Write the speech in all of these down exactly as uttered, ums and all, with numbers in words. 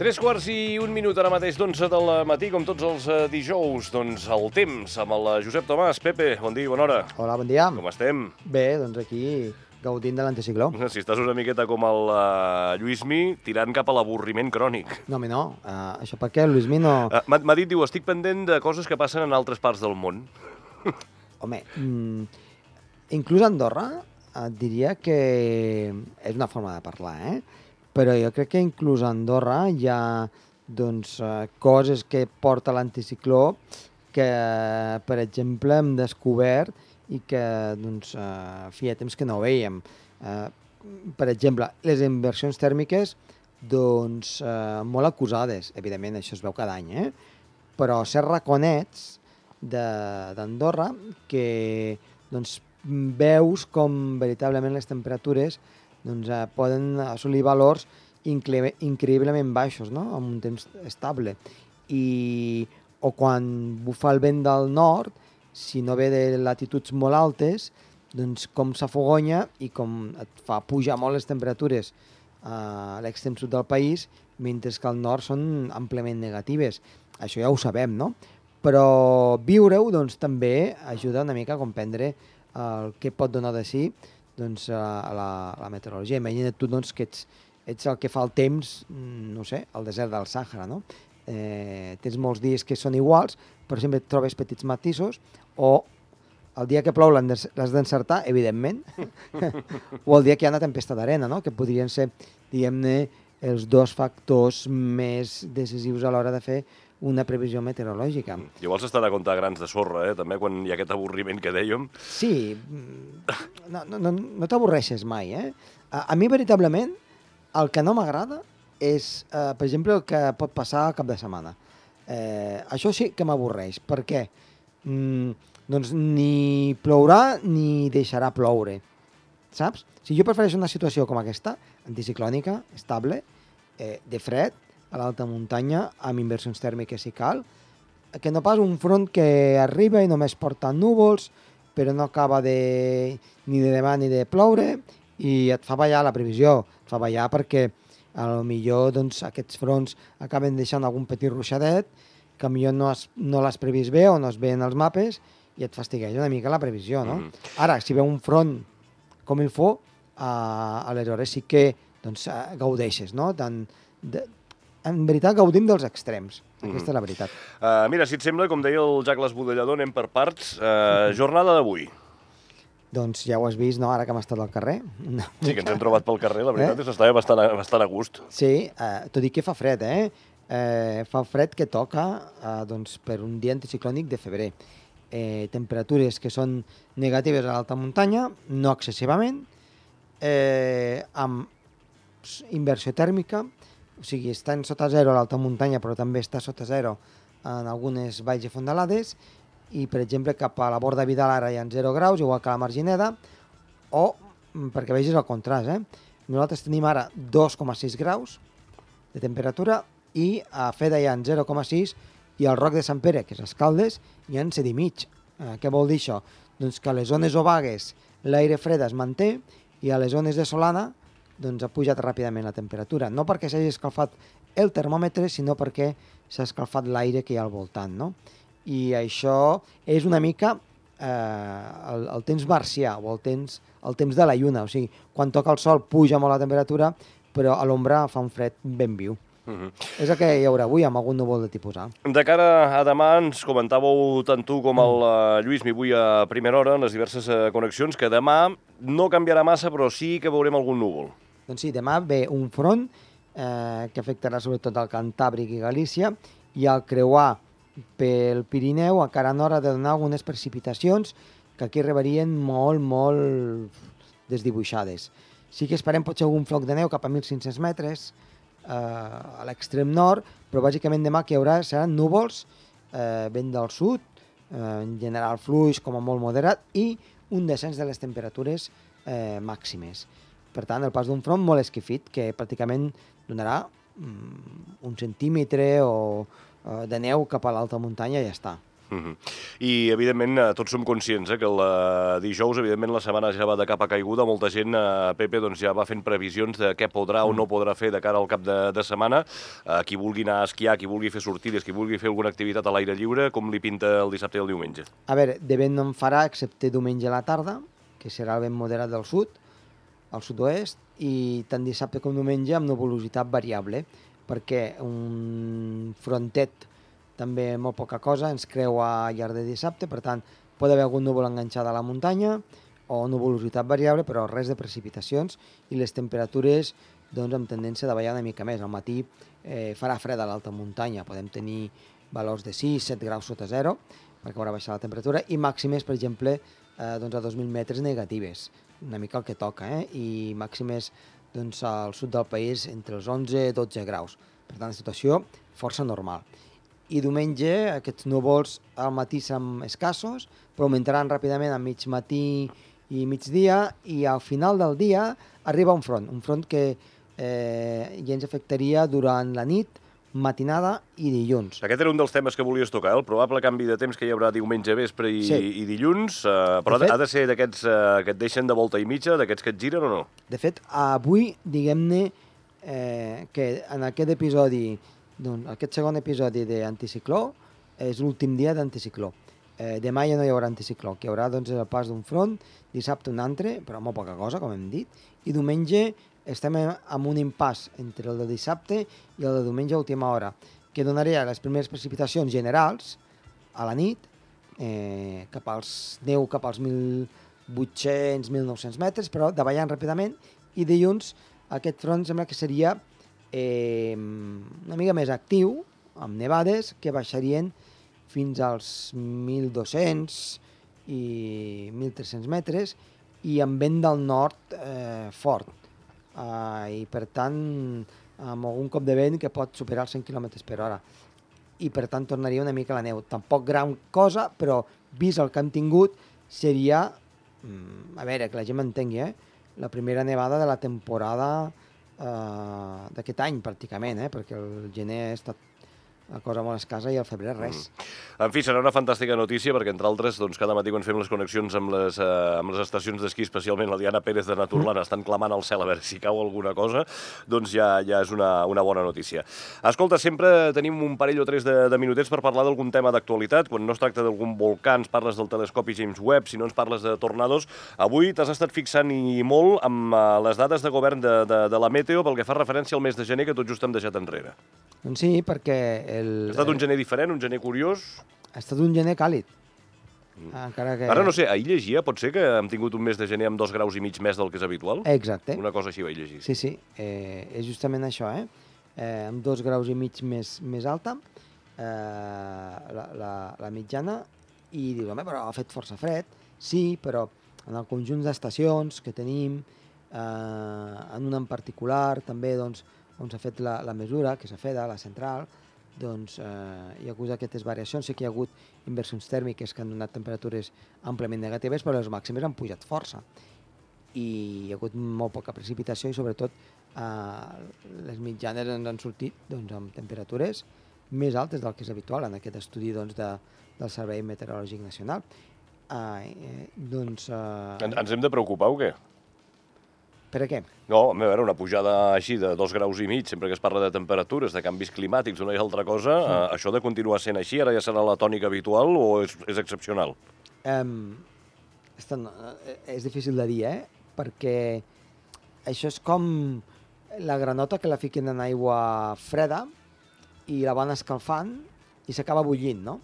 Tres quarts i un minut ara mateix d'onze del matí, com tots els eh, dijous. Doncs el temps amb el Josep Tomàs. Pepe, bon dia i bona hora. Hola, bon dia. Com estem? Bé, doncs aquí gaudint de l'anticicló. Si estàs una miqueta com el uh, Lluïsmi, tirant cap a l'avorriment crònic. No, home, no. Uh, això per què? El Lluïsmi no... Uh, M'ha dit, diu, estic pendent de coses que passen en altres parts del món. Home, mm, inclús a Andorra et diria que és una forma de parlar, eh? Però jo crec que inclús a Andorra hi ha doncs, uh, coses que porta l'anticicló que, per exemple, hem descobert i que doncs, uh, feia temps que no veiem. Uh, per exemple, les inversions tèrmiques doncs, uh, molt acusades, evidentment, això es veu cada any, eh? Però ser raconets d'Andorra que doncs, veus com veritablement les temperatures doncs, eh, poden assolir valors increïblement baixos, no? Amb un temps estable. I, o quan bufa el vent del nord, si no ve de latituds molt altes, doncs com s'afogonya i com et fa pujar molt les temperatures a l'extrem sud del país, mentre que al nord són àmpliament negatives. Això ja ho sabem, no? Però viure-ho doncs, també ajuda una mica a comprendre el que pot donar de si doncs, a, la, a la meteorologia. Imagina't tu doncs, que ets, ets el que fa el temps, no sé, al desert del Sàhara, no? Eh, tens molts dies que són iguals, però sempre et trobes petits matisos, o el dia que plou l'has d'encertar, evidentment, o el dia que hi ha una tempesta d'arena, no? Que podrien ser, diguem-ne, els dos factors més decisius a l'hora de fer una previsió meteorològica. Llavors estan a comptar grans de sorra, eh? També, quan hi ha aquest avorriment que dèiem. Sí, no, no, no, no t'avorreixes mai, eh? A, a mi, veritablement, el que no m'agrada és, eh, per exemple, el que pot passar al cap de setmana. Eh, això sí que m'avorreix. Per què? Mm, doncs ni plourà ni deixarà ploure, saps? Si jo prefereixo una situació com aquesta, anticiclònica, estable, eh, de fred, a l'alta muntanya, amb inversions tèrmiques si cal, que no pas un front que arriba i només porta núvols, però no acaba de, ni de demà ni de ploure, i et fa ballar la previsió. Et fa ballar perquè a lo millor doncs, aquests fronts acaben deixant algun petit ruixadet, que millor no, has, no l'has previst bé o no es veuen els mapes, i et fastigueja una mica la previsió, no? Mm. Ara, si ve un front com el fo, uh, aleshores sí que doncs, uh, gaudeixes, no? Tant de, en veritat, gaudim dels extrems. Aquesta mm-hmm. és la veritat. Uh, mira, si et sembla, com deia el Jack l'Esbudellador, anem per parts. Uh, mm-hmm. Jornada d'avui. Doncs ja ho has vist, no?, ara que hem estat al carrer. No. Sí, que ens hem trobat pel carrer, la veritat eh? és que estava bastant, bastant a gust. Sí, uh, tot i que fa fred, eh? Uh, fa fred que toca uh, doncs, per un dia anticiclònic de febrer. Eh, temperatures que són negatives a l'alta muntanya, no excessivament, eh, amb inversió tèrmica, o sigui, estan sota zero a l'alta muntanya, però també està sota zero en algunes valls i fondalades, i, per exemple, cap a la Borda Vidal ara hi ha zero graus, igual que a la Margineda, o, perquè vegis el contrast, eh? Nosaltres tenim ara dos coma sis graus de temperatura, i a Feda hi ha zero coma sis, i al Roc de Sant Pere, que és Escaldes, hi ha set i mig. Eh, què vol dir això? Doncs que a les zones obagues l'aire fred es manté, i a les zones de Solana doncs ha pujat ràpidament la temperatura. No perquè s'hagi escalfat el termòmetre, sinó perquè s'ha escalfat l'aire que hi ha al voltant, no? I això és una mica eh, el, el temps marcià, o el temps, el temps de la lluna. O sigui, quan toca el sol puja molt la temperatura, però a l'ombra fa un fred ben viu. Uh-huh. És el que hi haurà avui, amb algun núvol de tipus A. De cara a demà, ens comentàveu tant tu com el uh, Lluís, avui a primera hora, en les diverses uh, connexions, que demà no canviarà massa, però sí que veurem algun núvol. Doncs sí, demà ve un front eh, que afectarà sobretot el Cantàbric i Galícia, i al creuar pel Pirineu encara en hora de donar algunes precipitacions que aquí arribarien molt, molt desdibuixades. Sí que esperem potser algun floc de neu cap a mil cinc-cents metres eh, a l'extrem nord, però bàsicament demà que hi haurà seran núvols, eh, vent del sud, eh, en general fluix com a molt moderat, i un descens de les temperatures eh, màximes. Per tant, el pas d'un front molt esquifit, que pràcticament donarà um, un centímetre o, uh, de neu cap a l'alta muntanya i ja està. Uh-huh. I, evidentment, eh, tots som conscients eh, que el eh, dijous, evidentment, la setmana ja va de capa caiguda. Molta gent, eh, Pepe, doncs, ja va fent previsions de què podrà o no podrà fer de cara al cap de, de setmana. Eh, qui vulgui anar a esquiar, qui vulgui fer sortides, qui vulgui fer alguna activitat a l'aire lliure, com li pinta el dissabte i el diumenge? A veure, de vent no en farà, excepte diumenge a la tarda, que serà el vent moderat del sud, al sud-oest, i tant dissabte com diumenge amb nuvolositat variable, perquè un frontet també molt poca cosa, ens creua al llarg de dissabte, per tant, pot haver algun núvol enganxat a la muntanya o nuvolositat variable, però res de precipitacions i les temperatures doncs, amb tendència de ballar una mica més. Al matí eh, farà fred a l'alta muntanya, podem tenir valors de sis set graus sota zero, perquè haurà baixat la temperatura, i màximes, per exemple, eh, doncs a dos mil metres negatives, una mica el que toca, eh? I màximes doncs, al sud del país entre els onze i dotze graus. Per tant, la situació força normal. I diumenge aquests núvols al matí seran escassos, però augmentaran ràpidament a mig matí i migdia, i al final del dia arriba un front, un front que eh, ja ens afectaria durant la nit, matinada i dilluns. Aquest era un dels temes que volies tocar, el probable canvi de temps que hi haurà diumenge vespre i, sí. i dilluns, eh, però de fet, ha de ser d'aquests eh, que et deixen de volta i mitja, d'aquests que et giren o no? De fet, avui, diguem-ne, eh, que en aquest episodi, doncs, aquest segon episodi d'anticicló és l'últim dia d'anticicló. Eh, demà ja no hi haurà anticicló, que hi haurà doncs, el pas d'un front, dissabte un altre, però molt poca cosa, com hem dit, i diumenge estem en un impàs entre el de dissabte i el de diumenge a última hora, que donaria les primeres precipitacions generals a la nit, eh, cap als neu cap als mil vuit-cents mil nou-cents metres, però davallant ràpidament, i dilluns aquest front sembla que seria eh, una mica més actiu, amb nevades que baixarien fins als mil dos-cents i mil tres-cents metres, i amb vent del nord eh, fort. Uh, I per tant, amb algun cop de vent que pot superar els cent quilòmetres per hora. I per tant tornaria una mica la neu. Tampoc gran cosa, però vist el que hem tingut, seria, mm, a veure, que la gent m'entengui, eh? la primera nevada de la temporada uh, d'aquest any, pràcticament, eh? perquè el gener ha estat la cosa molt escassa i el febrer res. Mm. En fi, serà una fantàstica notícia perquè, entre altres, doncs, cada matí quan fem les connexions amb les, eh, amb les estacions d'esquí, especialment la Diana Pérez de Naturlana, mm. estan clamant al cel a veure si cau alguna cosa, doncs ja, ja és una, una bona notícia. Escolta, sempre tenim un parell o tres de, de minutets per parlar d'algun tema d'actualitat. Quan no es tracta d'algun volcà, ens parles del telescopi James Webb, si no ens parles de tornados. Avui t'has estat fixant i molt amb uh, les dades de govern de, de, de la Meteo pel que fa referència al mes de gener que tot just hem deixat enrere. Doncs sí, perquè... El, ha estat un gener diferent, un gener curiós? Ha estat un gener càlid. Mm. Encara que... Ara no sé, ahir llegia, pot ser que hem tingut un mes de gener amb dos graus i mig més del que és habitual? Exacte. Una cosa així vaig llegir. Sí, sí, eh, és justament això, eh? eh amb dos graus i mig més, més alta, eh, la, la, la mitjana, i dius, home, però ha fet força fred. Sí, però en el conjunt d'estacions que tenim, eh, en una en particular, també, doncs, on s'ha fet la, la mesura, que s'ha fet a la central, doncs eh, hi ha hagut aquestes variacions. Sí que hi ha hagut inversions tèrmiques que han donat temperatures àmpliament negatives, però les màximes han pujat força. I hi ha hagut molt poca precipitació i, sobretot, eh, les mitjanes ens han sortit doncs, amb temperatures més altes del que és habitual en aquest estudi doncs, de, del Servei Meteorològic Nacional. Eh, doncs, eh... En, ens hem de preocupar o què? Per a què? No, a veure, una pujada així de dos graus i mig, sempre que es parla de temperatures, de canvis climàtics, una i altra cosa, sí. eh, això de continuar sent així, ara ja serà la tònica habitual o és, és excepcional? Um, és, tan, és difícil de dir, eh? Perquè això és com la granota que la fiquen en aigua freda i la van escalfant i s'acaba bullint, no?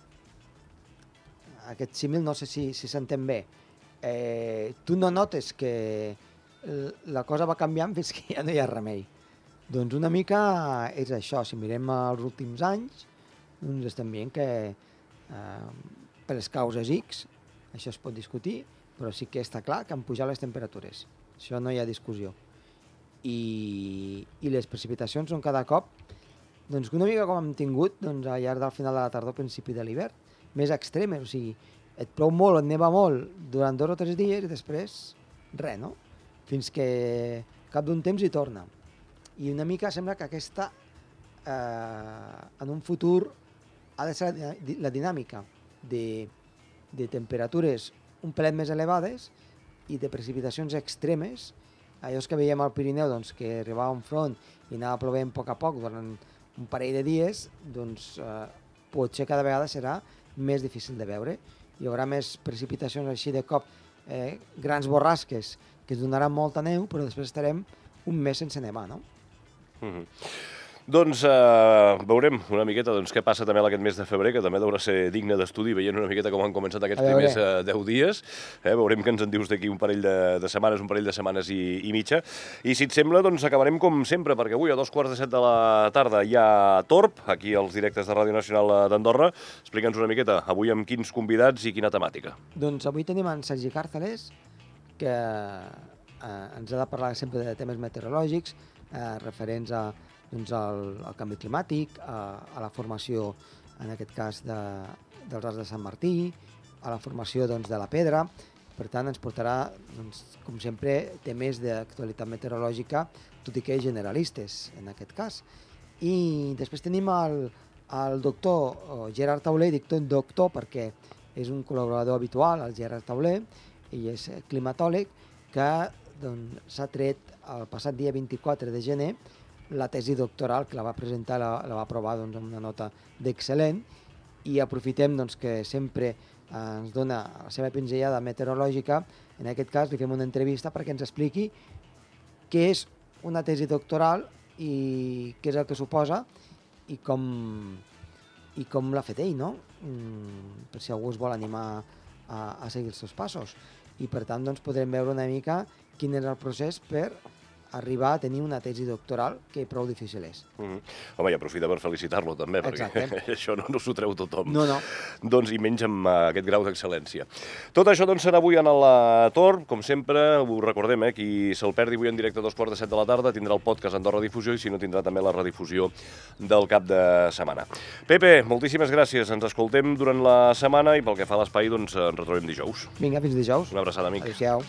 Aquest símil no sé si si s'entén bé. Eh, tu no notes que la cosa va canviant fins que ja no hi ha remei. Doncs una mica és això. Si mirem els últims anys, doncs estem veient que eh, per les causes X, això es pot discutir, però sí que està clar que han pujat les temperatures. Això no hi ha discussió. I, i les precipitacions són cada cop doncs, una mica com hem tingut doncs, al llarg del final de la tardor, principi de l'hivern, més extremes. O sigui, et plou molt, et neva molt durant dos o tres dies i després res, no? Fins que cap d'un temps hi torna. I una mica sembla que aquesta, eh, en un futur, ha de ser la dinàmica. de, de temperatures un pelet més elevades i de precipitacions extremes, allò que veiem al Pirineu, doncs, que arribava un front i anava plovent a poc a poc durant un parell de dies, doncs eh, potser cada vegada serà més difícil de veure. Hi haurà més precipitacions així de cop, eh, grans borrasques que es donaran molta neu, però després estarem un mes sense nevar, no? Mm-hmm. Doncs eh, veurem una miqueta doncs, què passa també aquest mes de febrer, que també deurà ser digne d'estudi, veient una miqueta com han començat aquests primers eh, deu dies. Eh, veurem què ens en dius d'aquí un parell de, de setmanes, un parell de setmanes i, i mitja. I si et sembla, doncs acabarem com sempre, perquè avui a dos quarts de set de la tarda hi ha Torb, aquí als directes de Ràdio Nacional d'Andorra. Explica'ns una miqueta, avui amb quins convidats i quina temàtica. Doncs avui tenim en Sergi Càrceles, que eh, ens ha de parlar sempre de temes meteorològics, eh, referents a doncs al, al canvi climàtic, a, a la formació, en aquest cas, de, dels Arcs de Sant Martí, a la formació doncs, de la pedra. Per tant, ens portarà, doncs, com sempre, temes d'actualitat meteorològica, tot i que generalistes, en aquest cas. I després tenim el, el doctor Gerard Tauler, dic tot doctor perquè és un col·laborador habitual, el Gerard Tauler, ell és climatòleg, que doncs, s'ha tret el passat dia vint-i-quatre de gener la tesi doctoral, que la va presentar, la, la va aprovar doncs, amb una nota d'excel·lent, i aprofitem doncs, que sempre eh, ens dona la seva pinzellada meteorològica. En aquest cas li fem una entrevista perquè ens expliqui què és una tesi doctoral i què és el que suposa i com, i com l'ha fet ell, no? Mm, per si algú es vol animar a, a seguir els seus passos. I per tant doncs, podrem veure una mica quin és el procés per arribar a tenir una tesi doctoral que prou difícil és. Mm-hmm. Home, i aprofita per felicitar-lo també, perquè Exacte. això no, no s'ho treu tothom. No, no. Doncs i menys amb uh, aquest grau d'excel·lència. Tot això doncs, serà avui en el Torb, com sempre, ho recordem, eh, qui se'l perdi avui en directe a dos quarts de set de la tarda tindrà el podcast Andorra Difusió i si no tindrà també la redifusió del cap de setmana. Pepe, moltíssimes gràcies, ens escoltem durant la setmana i pel que fa a l'espai doncs ens retrobem dijous. Vinga, fins dijous. Una abraçada, amic. Adéu-siau.